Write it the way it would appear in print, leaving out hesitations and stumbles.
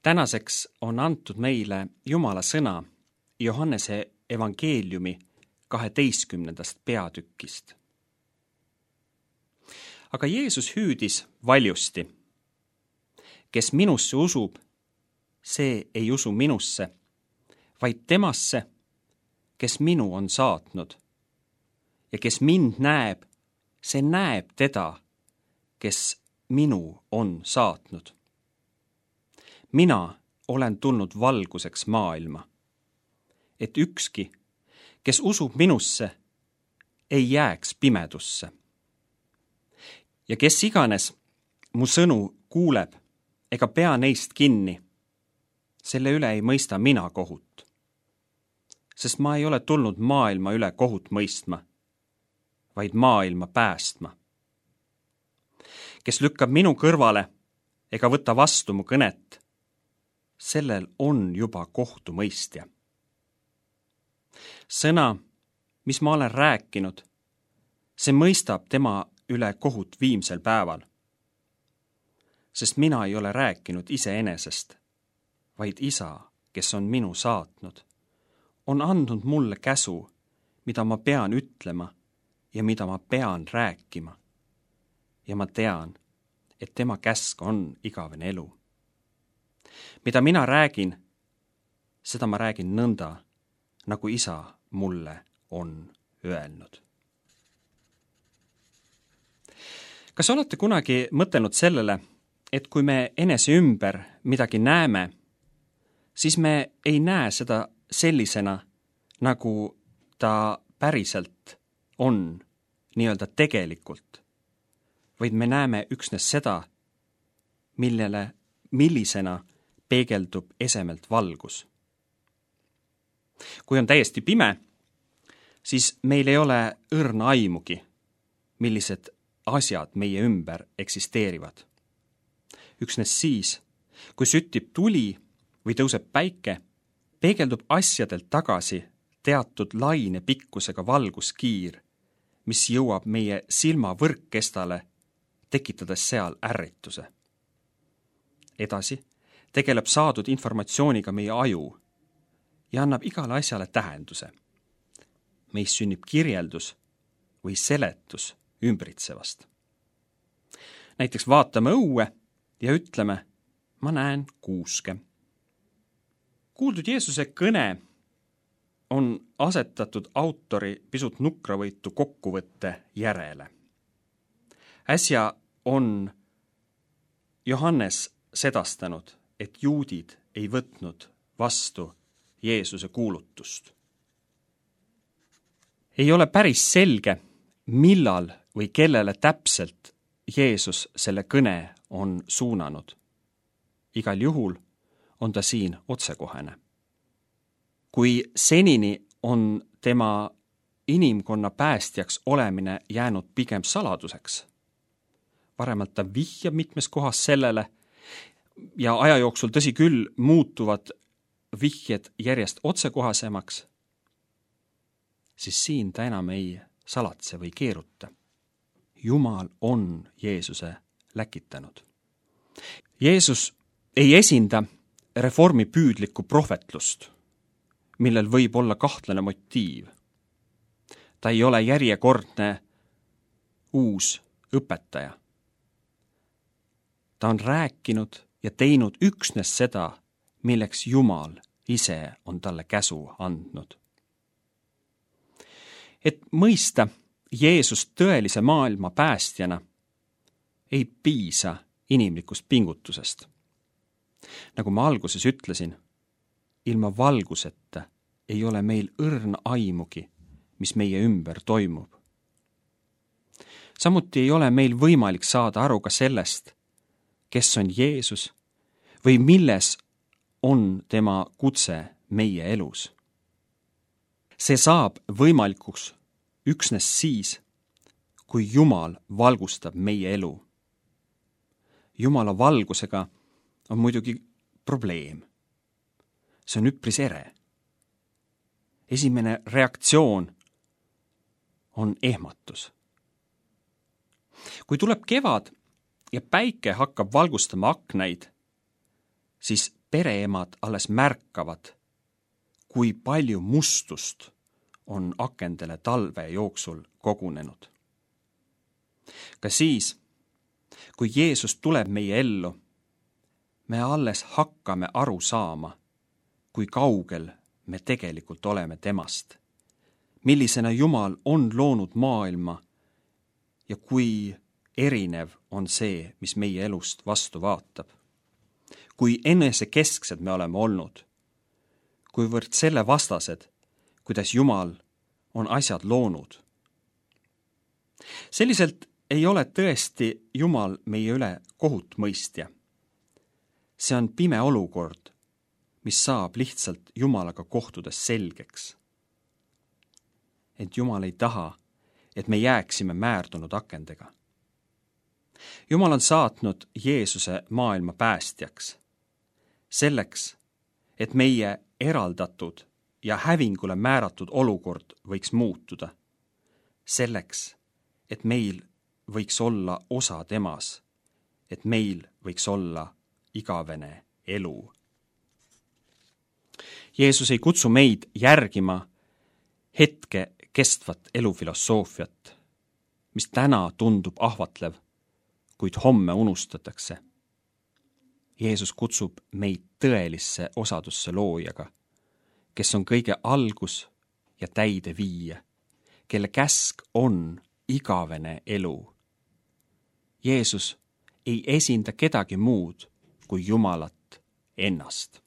Tänaseks on antud meile Jumala sõna Johannese evangeeliumi 12. peatükist. Aga Jeesus hüüdis valjusti: kes minusse usub, see ei usu minusse, vaid temasse, kes minu on saatnud. Ja kes mind näeb, see näeb teda, kes minu on saatnud. Mina olen tulnud valguseks maailma, et ükski, kes usub minusse, ei jääks pimedusse. Ja kes iganes mu sõnu kuuleb ega pea neist kinni, selle üle ei mõista mina kohut. Sest ma ei ole tulnud maailma üle kohut mõistma, vaid maailma päästma. Kes lükkab minu kõrvale ega võta vastu mu kõnet, sellel on juba kohtumõistja. Sõna, mis ma olen rääkinud, see mõistab tema üle kohut viimsel päeval. Sest mina ei ole rääkinud iseenesest, vaid Isa, kes on minu saatnud, on andnud mulle käsu, mida ma pean ütlema ja mida ma pean rääkima. Ja ma tean, et tema käsk on igavene elu. Mida mina räägin, seda ma räägin nõnda, nagu Isa mulle on öelnud. Kas olete kunagi mõtelnud sellele, et kui me enese ümber midagi näeme, siis me ei näe seda sellisena, nagu ta päriselt on, nii-öelda tegelikult, vaid me näeme üksnes seda, millisena peegeldub esemelt valgus. Kui on täiesti pime, siis meil ei ole õrna aimugi, millised asjad meie ümber eksisteerivad. Üksnes siis, kui süttib tuli või tõuseb päike, peegeldub asjadelt tagasi teatud laine pikkusega valguskiir, mis jõuab meie silma võrkkestale, tekitades seal ärrituse. Edasi tegeleb saadud informatsiooniga meie aju ja annab igale asjale tähenduse. Meis sünnib kirjeldus või seletus ümbritsevast. Näiteks vaatame õue ja ütleme, ma näen kuuske. Kuuldud Jeesuse kõne on asetatud autori pisut nukravõitu kokkuvõtte järele. Äsja on Johannes sedastanud, et juudid ei võtnud vastu Jeesuse kuulutust. Ei ole päris selge, millal või kellele täpselt Jeesus selle kõne on suunanud. Igal juhul on ta siin otsekohene. Kui senini on tema inimkonna päästjaks olemine jäänud pigem saladuseks, varemalt ta vihjab mitmes kohas sellele ja aja jooksul tõsi küll muutuvad vihjed järjest otsekohasemaks, siis siin ta enam ei salatse või keeruta. Jumal on Jeesuse läkitanud. Jeesus ei esinda reformipüüdlikku prohvetlust, millel võib olla kahtlane motiiv. Ta ei ole järjekordne uus õpetaja. Ta on rääkinud ja teinud üksnes seda, milleks Jumal ise on talle käsu andnud. Et mõista Jeesust tõelise maailma päästjana, ei piisa inimlikust pingutusest. Nagu ma alguses ütlesin, ilma valguseta ei ole meil õrna aimugi, mis meie ümber toimub. Samuti ei ole meil võimalik saada aru ka sellest, kes on Jeesus või milles on tema kutse meie elus. See saab võimalikuks üksnes siis, kui Jumal valgustab meie elu. Jumala valgusega on muidugi probleem. See on üpris ere. Esimene reaktsioon on ehmatus. Kui tuleb kevad ja päike hakkab valgustama aknaid, siis pereemad alles märkavad, kui palju mustust on akendele talve jooksul kogunenud. Ka siis, kui Jeesus tuleb meie ellu, me alles hakkame aru saama, kui kaugel me tegelikult oleme temast, millisena Jumal on loonud maailma ja kui erinev on see, mis meie elust vastu vaatab. Kui enesekesksed me oleme olnud, kuivõrd selle vastased, kuidas Jumal on asjad loonud. Selliselt ei ole tõesti Jumal meie üle kohut mõistja. See on pime olukord, mis saab lihtsalt Jumalaga kohtudes selgeks. Et Jumal ei taha, et me jääksime määrdunud akendega. Jumal on saatnud Jeesuse maailma päästjaks, selleks, et meie eraldatud ja hävingule määratud olukord võiks muutuda, selleks, et meil võiks olla osa temas, et meil võiks olla igavene elu. Jeesus ei kutsu meid järgima hetke kestvat elufilosoofiat, mis täna tundub ahvatlev, kuid homme unustatakse. Jeesus kutsub meid tõelisse osadusse loojaga, kes on kõige algus ja täide viija, kelle käsk on igavene elu. Jeesus ei esinda kedagi muud kui Jumalat ennast.